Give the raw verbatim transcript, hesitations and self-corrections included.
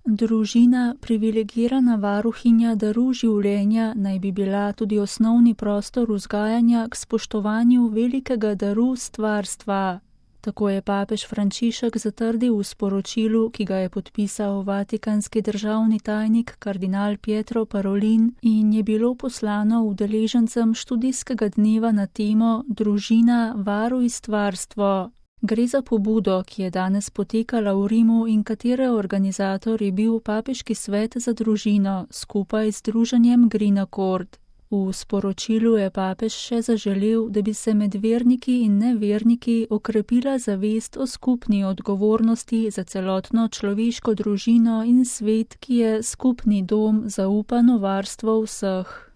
Družina, privilegirana varuhinja daru življenja, naj bi bila tudi osnovni prostor vzgajanja k spoštovanju velikega daru stvarstva. Tako je papež Frančišek zatrdil v sporočilu, ki ga je podpisal vatikanski državni tajnik kardinal Pietro Parolin in je bilo poslano udeležencem študijskega dneva na temo Družina, varuj stvarstvo. Gre za pobudo, ki je danes potekala v Rimu in katere organizator je bil Papeški svet za družino skupaj z združenjem Green Accord. V sporočilu je papež še zaželel, da bi se med verniki in neverniki okrepila zavest o skupni odgovornosti za celotno človeško družino in svet, ki je skupni dom, zaupano varstvo vseh.